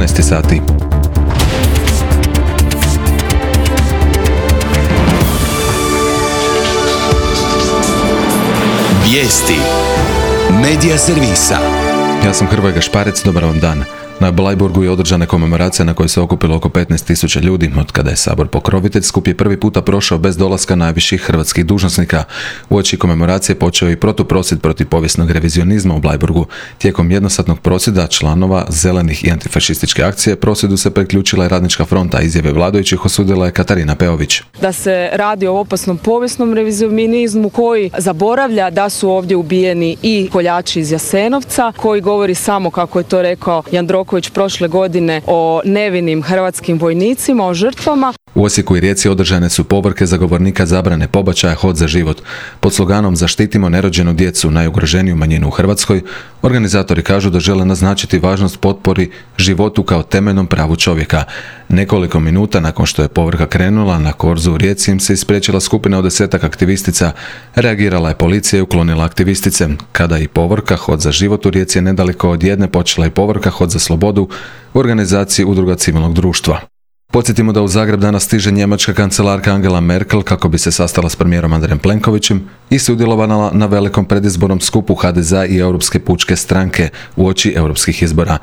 14 sati. Vijesti Medija servisa. Ja sam Hrvoje Gašparec, dobar vam dan. Na Bleiburgu je održana komemoracija na kojoj se okupilo oko 15.000 ljudi. Od kada je Sabor pokrovitelj, skup je prvi puta prošao bez dolaska najviših hrvatskih dužnosnika. Uoči komemoracije počeo i protuprosvjed protiv povijesnog revizionizma u Bleiburgu. Tijekom jednosatnog prosvjeda članova zelenih i antifašističke akcije prosvjedu se priključila i Radnička fronta. Izjave vladajućih osudila je Katarina Peović. Da se radi o opasnom povijesnom revizionizmu koji zaboravlja da su ovdje ubijeni i koljači iz Jasenovca, koji govori samo, kako je to rekao Jandroković prošle godine, o nevinim hrvatskim vojnicima, o žrtvama. U Osijeku i Rijeci održane su povorke zagovornika zabrane pobačaja Hod za život. Pod sloganom Zaštitimo nerođenu djecu, najugroženiju manjinu u Hrvatskoj, organizatori kažu da žele naznačiti važnost potpori životu kao temeljnom pravu čovjeka. Nekoliko minuta nakon što je povorka krenula, na korzu u Rijeci im se ispriječila skupina od 10-ak aktivistica. Reagirala je policija i uklonila aktivistice. Kada i povorka Hod za život u Rijeci je nedaleko od jedne, počela i povorka Hod za slobodu u organizaciji Udruga civilnog društva. Podsjetimo da u Zagreb danas stiže njemačka kancelarka Angela Merkel kako bi se sastala s premijerom Andrejem Plenkovićem i sudjelovala na velikom predizbornom skupu HDZ-a i Europske pučke stranke uoči europskih izbora.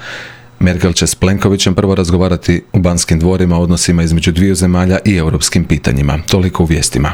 Merkel će s Plenkovićem prvo razgovarati u Banskim dvorima o odnosima između dviju zemalja i europskim pitanjima. Toliko u vijestima.